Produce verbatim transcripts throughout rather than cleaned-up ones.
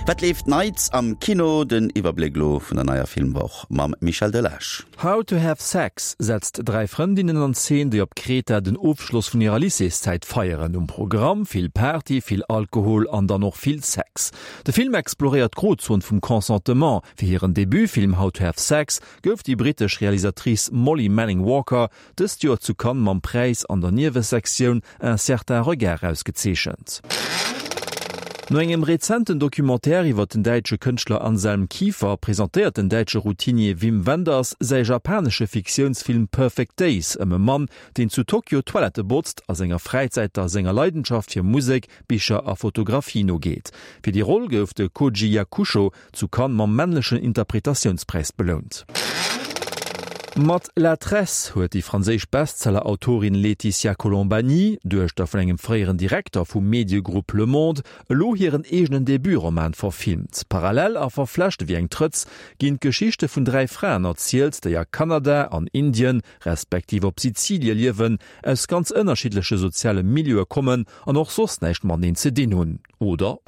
Wat leeft Neits am Kino? Den Iwwerbléck lo vun der neier Filmwoch mam Michel Delage. How to Have Sex setzt dräi Frëndinnen an Zeen, déi op Kreta den Ofschloss vun hirer Lycéeszäit feieren. Um Programm vill Party, vill Alkohol an dann och vill Sex. De Film exploréiert d'Grozon vum Consentement. Fir hiren Debutfilm How to Have Sex gouf déi brittesch Realisatrice Molly Manning Walker dëst Joer zu Cannes mam Präis an der Niewesektioun Un certain regard ausgezeechent. No engem rezenten Documentaire iwwer den däitsche Kënschtler Anselm Kiefer presentéiert den däitsche Routinier Wim Wenders säi japanesche Fiktiounsfilm Perfect Days ëm e Mann, deen zu Tokio Toilette botzt, a senger Fräizäit da senger Leidenschaft fir Musek, Bicher a Fotografie nogeet. Fir déi Roll gouf de Koji Yakusho zu Cannes mam männlechen Interpretatiounspräis belount. Mat La Tresse huet déi franséisch Bestseller-Autorin Laetitia Colombani, Duechter vun engem fréieren Direkter vum Mediegrupp Le Monde, elo hiren eegenen Debutroman verfilmt. Parallel a verflecht ewéi eng Trëtz ginn d'Geschichte vun dräi Fraen erzielt, déi a Kanada, an Indien respektiv op Sizilie liewen, aus ganz ënnerschiddleche soziale Milieue kommen an och soss näischt mateneen ze dinn hunn. Oder?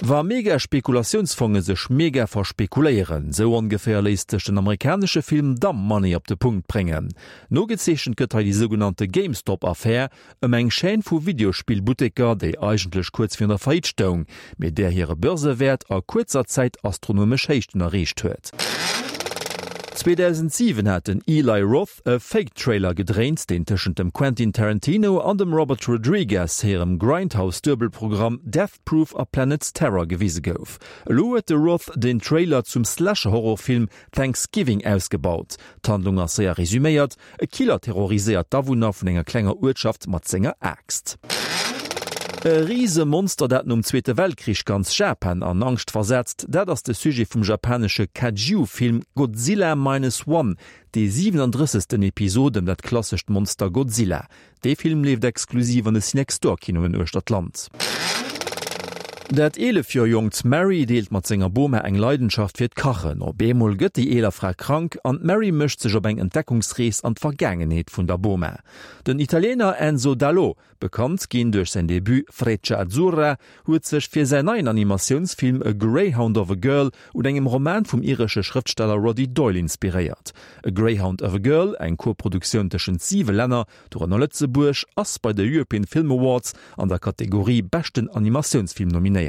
Wa Mega-Spekulatiounsfonge sech mega verspekuléieren, sou ongeféier léisst sech den amerikanesche Film Dumb Money op de Punkt bréngen. Nogezeechent gëtt hei déi sougenannte GameStop-Affär ëm eng Chaîne vu Videospillbutteker, déi eigentlech kuerz virun der Faillite stoung, mee där hire Börsewäert a kuerzer Zäit astronomesch Héichten erreecht huet. zweedausendsiwen hat den Eli Roth e Fake-Trailer gedréint, deen tëschent dem Quentin Tarantino an dem Robert Rodriguez hirem Grindhouse-Duebelprogramm Death Proof a Planet Terror gewise gouf. Elo huet de Roth den Trailer zum Slasher-Horrorfilm Thanksgiving ausgebaut. D'Handlung ass séier resuméiert, E Killer terroriséiert d'Awunner vun enger klenger Uertschaft mat senger Aaxt. E Risemonster, dat nom Zweete Weltkrich ganz Japan an Angscht versetzt, dat ass de Sujet vum japanesche Kaiju-Film Godzilla Minus One, déi siwenandrëssegsten Episod ëm dat klassescht Monster Godzilla. Dee Film leeft exklusiv an de Cinextdoor-Kinoen uechter d'Land. Dat eelef Joer jonkt Mary deelt mat senger Boma eng Leidenschaft fir d'Kachen. Op eemol gëtt déi eeler Fra krank an d'Mary mécht sech op eng Entdeckungsrees an d'Vergaangenheet vun der Boma. Den Italiener Enzo D'Alò, bekannt ginn duerch säin Debut Freccia Azzurra, huet sech fir säin neien Animatiounsfilm A Greyhound of a Girl un engem Roman vum iresche Schrëftsteller Roddy Doyle inspiréiert. A Greyhound of a Girl, eng Koproduktioun tëschent siwe Länner, dorënner Lëtzebuerg, ass bei de European Film Awards an der Kategorie Beschten Animatiounsfilm nominéiert.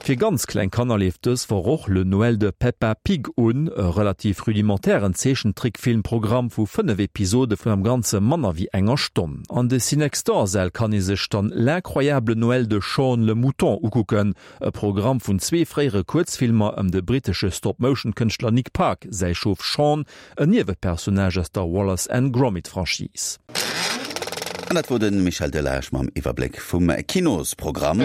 Fir ganz kleng Kanner leeft dës Woch och Le Noël de Peppa Pig un, e relativ rudimentären Zeechentrickfilmprogramm vu fënnef Episode vun am Ganze manner wéi enger Stonn. An de Cinextdoor-Säll kann ee sech dann L'incroyable Noël de Shaun le Mouton ukucken, e Programm vun zwee fréiere Kuerzfilmer ëm de brittesche Stop-Motion-Kënschtler Nick Park säi Schof Shaun, en Niewepersonnage aus der Wallace and Gromit-Franchise. An dat wor de Michel Delage mam Iwwerbléck vum Kinosprogramm.